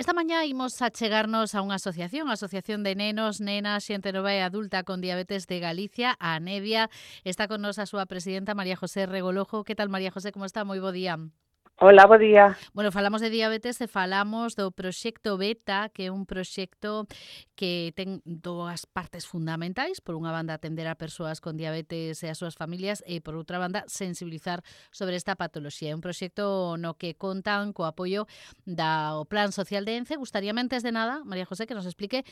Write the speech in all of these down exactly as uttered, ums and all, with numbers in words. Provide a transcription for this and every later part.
Esta mañá imos achegarnos a unha asociación, a Asociación de Nenos, Nenas, Xente Nova e Adulta con Diabetes de Galicia, a Nevia. Está con nos a súa presidenta, María José Regolojo. Que tal, María José, como está? Moi bo día. Hola, bo día. Bueno, falamos de diabetes e falamos do proxecto Beta, que é un proxecto que ten dúas partes fundamentais. Por unha banda, atender a persoas con diabetes e as súas familias e, por outra banda, sensibilizar sobre esta patoloxía. É un proxecto no que contan co apoio do Plan Social de Ence. Gustaríame, antes de nada, María José, que nos explique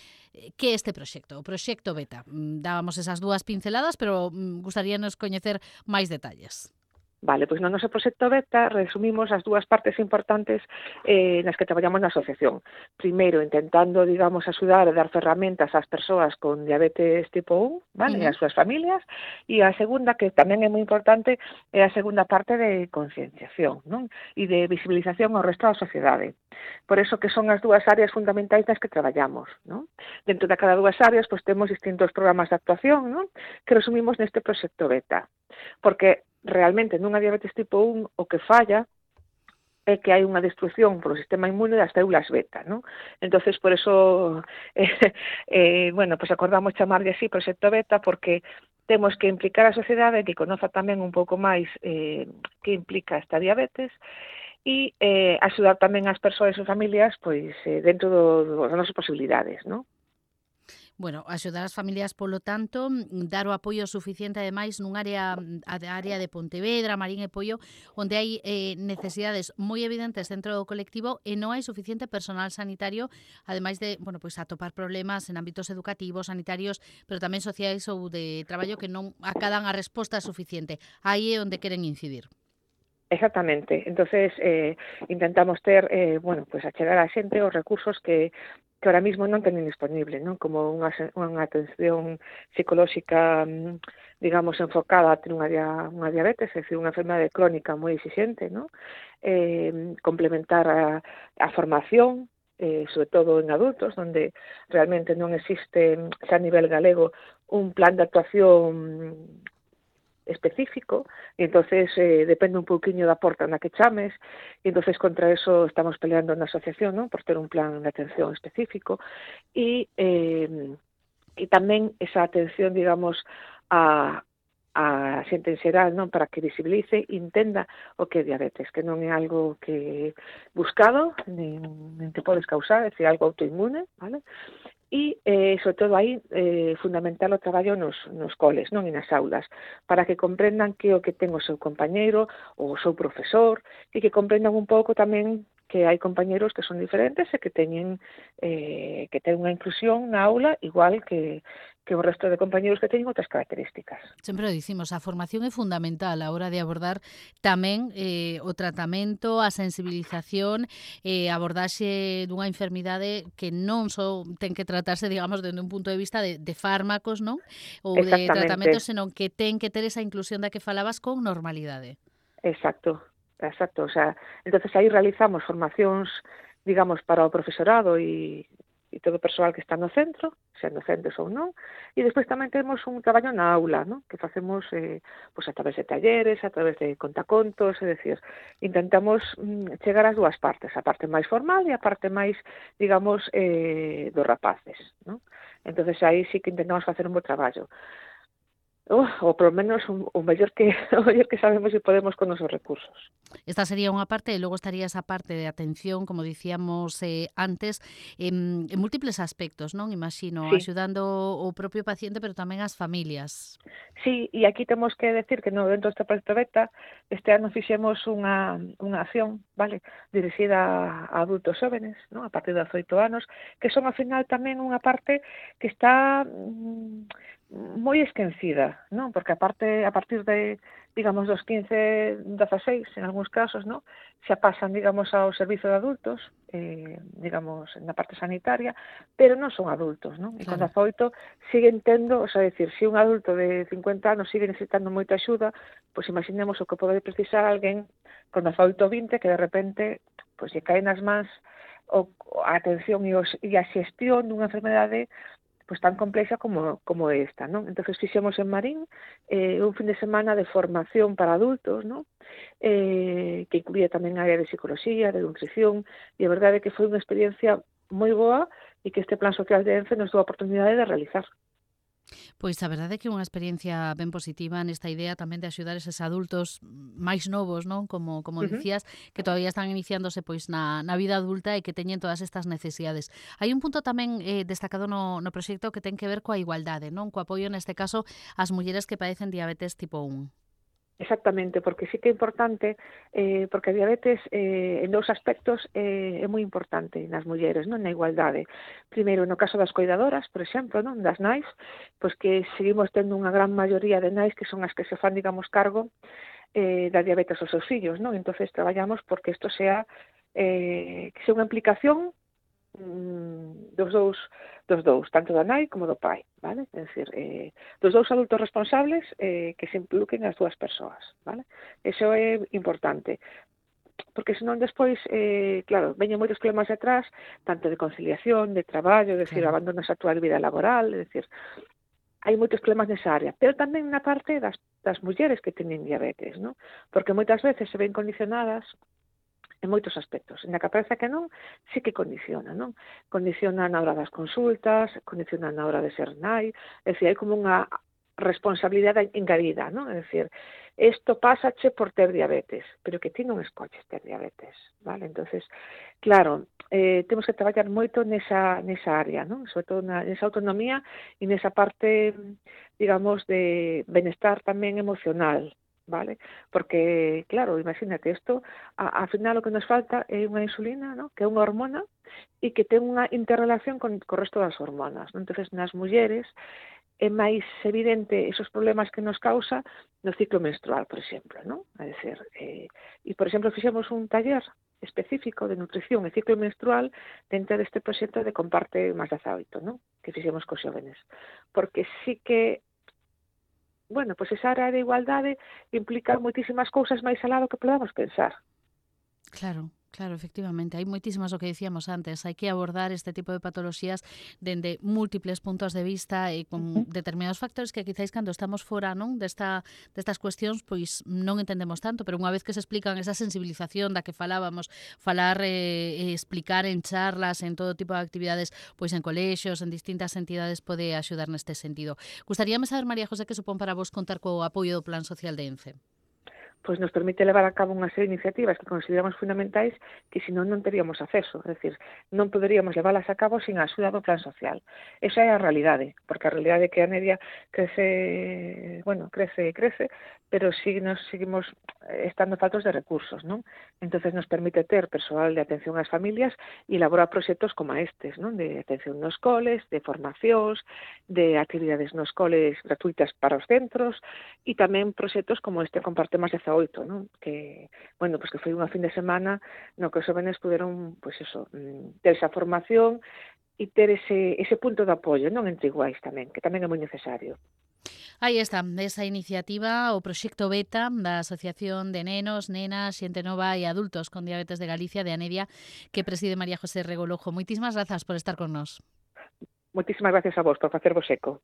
que é este proxecto, o proxecto Beta. Dábamos esas dúas pinceladas, pero gustaríanos coñecer máis detalles. Vale, pois no noso proxecto Beta resumimos as dúas partes importantes eh, nas que traballamos na asociación. Primeiro, intentando, digamos, axudar e dar ferramentas ás persoas con diabetes tipo un, vale, uh-huh. e ás súas familias, e a segunda, que tamén é moi importante, é a segunda parte de concienciación, non? E de visibilización ao resto da sociedade. Por eso que son as dúas áreas fundamentais nas que traballamos, non? Dentro de cada dúas áreas, pois temos distintos programas de actuación, non? Que resumimos neste proxecto Beta. Porque realmente nunha diabetes tipo un o que falla é que hai unha destrucción polo sistema inmune das células beta, non? Entonces, por eso, eh, eh, bueno, pues acordamos chamarlle así proxecto Beta porque temos que implicar a sociedade que conoza tamén un pouco máis eh, que implica esta diabetes e eh, axudar tamén as persoas e as familias pois eh, dentro do, do, das nosas posibilidades, non? Bueno, axudar as familias, polo tanto, dar o apoio suficiente, ademais, nun área, a área de Pontevedra, Marín e Poio, onde hai eh, necesidades moi evidentes dentro do colectivo e non hai suficiente personal sanitario, ademais de, bueno, pois atopar problemas en ámbitos educativos, sanitarios, pero tamén sociais ou de traballo que non acadan a resposta suficiente. Aí é onde queren incidir. Exactamente. Entonces, eh, intentamos ter, eh, bueno, pues achegar a xente os recursos que que ahora mismo non teñen disponible, non? Como unha, unha atención psicolóxica, digamos, enfocada a ter unha, unha diabetes, é dicir, unha enfermedade crónica moi exixente, non? Eh, complementar a, a formación, eh, sobre todo en adultos, onde realmente non existe, xa a nivel galego, un plan de actuación específico, e entonces eh, depende un pouquiño da porta na que chames, e entonces contra eso estamos peleando na asociación, non? Por ter un plan de atención específico, e, eh, e tamén esa atención, digamos, a, a xente en xeral, non? Para que visibilice e entenda o que é diabetes, que non é algo que buscado, nin, nin te podes causar, é dicir, algo autoinmune, vale? E, eh, sobre todo, aí, eh, fundamental o traballo nos, nos coles, non? E nas aulas, para que comprendan que o que ten o seu compañeiro, ou o seu profesor, e que comprendan un pouco tamén que hai compañeros que son diferentes e que teñen eh, que ten unha inclusión na aula igual que, que o resto de compañeros que teñen outras características. Sempre o dicimos, a formación é fundamental a hora de abordar tamén eh, o tratamento, a sensibilización, eh, abordaxe dunha enfermidade que non só ten que tratarse, digamos, dende un punto de vista de, de fármacos, non? Ou de tratamento, senón que ten que ter esa inclusión da que falabas con normalidade. Exacto. Exacto, o sea, entonces aí realizamos formacións, digamos, para o profesorado e, e todo o persoal que está no centro, sean docentes ou non, e despois tamén temos un traballo na aula, ¿no? Que facemos eh, pues a través de talleres, a través de contacontos, é dicir, intentamos mm, chegar ás dúas partes, a parte máis formal e a parte máis, digamos, eh, dos rapaces, ¿no? Entonces aí sí que intentamos facer un bo traballo. Oh, ou polo menos o, o mellor que o mellor que sabemos e podemos con nosos recursos. Esta sería unha parte e logo estaría esa parte de atención, como dicíamos eh, antes, en, en múltiples aspectos, non? Imagino, sí. axudando o propio paciente, pero tamén as familias. Sí, e aquí temos que decir que no dentro deste proxecto Beta este ano fixemos unha, unha acción, vale, dirixida a adultos jóvenes, non? A partir de dezoito anos, que son ao final tamén unha parte que está mm, moi esquecida, non? Porque a parte a partir de, digamos, dos quince, dezaseis, en algúns casos, non? Xa pasan, digamos, ao servizo de adultos, eh, digamos, na parte sanitaria, pero non son adultos, non? E con dezaoito siguen tendo, o sea, decir, se un adulto de cincuenta anos sigue necesitando moita axuda, pois imaginemos o que pode precisar alguén con dezaoito, vinte, que de repente, pois, lle cae nas mans o, a atención e, os, e a xestión dunha enfermedade pues tan complexa como, como esta, non? Entonces fixemos en Marín eh, un fin de semana de formación para adultos, non? Eh, que incluía tamén a área de psicología, de nutrición, e a verdade é que foi unha experiencia moi boa e que este Plan Social de ENCE nos dou a oportunidade de realizar. Pois a verdade é que é unha experiencia ben positiva nesta idea tamén de axudar eses adultos máis novos, non? Como como Uh -huh. dicías, que todavía están iniciándose pois na, na vida adulta e que teñen todas estas necesidades. Hai un punto tamén eh, destacado no, no proxecto que ten que ver coa igualdade, non? Co apoio neste caso ás mulleres que padecen diabetes tipo un. Exactamente, porque sí que é importante, eh, porque a diabetes eh, en dous aspectos eh, é moi importante nas mulleres, non, na igualdade. Primeiro, no caso das coidadoras, por exemplo, non, das nais, pois que seguimos tendo unha gran maioría de nais que son as que se fan, digamos, cargo eh, da diabetes aos seus fillos, non? Entonces traballamos porque isto sea eh, que sea unha implicación dos dous, dos dous, tanto da nai como do pai, vale? É dicir, eh, dos dous adultos responsables eh, que se impliquen as dúas persoas, vale? Eso é importante, porque senón despois, eh, claro, veñen moitos problemas detrás, tanto de conciliación, de traballo, é dicir, Claro. abandonas a túa vida laboral, é dicir, hai moitos problemas nesa área, pero tamén na parte das, das mulleres que teñen diabetes, non? Porque moitas veces se ven condicionadas en moitos aspectos. Na que parece que non, sí que condiciona, non? Condiciona na hora das consultas, condiciona na hora de ser nai, é dicir, hai como unha responsabilidade engadida, non? É dicir, isto pásache por ter diabetes, pero que ti non escoches ter diabetes, vale? Entonces, claro, eh, temos que traballar moito nesa, nesa área, non? Sobre todo na, nesa autonomía e nesa parte, digamos, de benestar tamén emocional, vale? Porque, claro, imagínate, isto, a, a final o que nos falta é unha insulina, ¿no? Que é unha hormona e que ten unha interrelación con, con o resto das hormonas, ¿no? Entonces, nas mulleres é máis evidente esos problemas que nos causa no ciclo menstrual, por exemplo, ¿no? É dicir, eh, e, por exemplo, fixemos un taller específico de nutrición e ciclo menstrual dentro deste proxecto de Comparte máis dezaoito, ¿no? Que fixemos cos xóvenes. Porque sí que bueno, pois esa área de igualdade implica moitísimas cousas máis alá do que podamos pensar. Claro, claro, efectivamente. Hai moitísimas, o que dicíamos antes, hai que abordar este tipo de patoloxías dende múltiples puntos de vista e con Uh -huh. determinados factores que quizáis cando estamos fora, non, desta destas cuestións, pois non entendemos tanto, pero unha vez que se explican esa sensibilización da que falábamos, falar e eh, explicar en charlas, en todo tipo de actividades, pois en colexios, en distintas entidades pode axudar neste sentido. Gustaríame saber, María José, que supón para vos contar co apoio do Plan Social de ENCE. Pois nos permite levar a cabo unha serie de iniciativas que consideramos fundamentais que senón non teríamos acceso, é dicir, non poderíamos leválas a cabo sin a axuda do Plan Social. Esa é a realidade, porque a realidade é que a media crece, bueno, crece e crece, pero si nos seguimos estando faltos de recursos, non? Entonces nos permite ter persoal de atención ás familias e elaborar proxectos como estes, non? De atención nos coles, de formacións, de actividades nos coles gratuitas para os centros e tamén proxectos como este Comparte máis dezaoito, non? Que, bueno, pues que foi unha fin de semana no que os jóvenes puderon, pues eso, ter esa formación e ter ese, ese punto de apoio, non, entre iguais tamén, que tamén é moi necesario. Aí está, esa iniciativa, o proxecto Beta da Asociación de Nenos, Nenas, Xente Nova e Adultos con Diabetes de Galicia, de Anedia, que preside María José Regolojo. Moitísimas grazas por estar con nós. Moitísimas gracias a vos por facervos eco.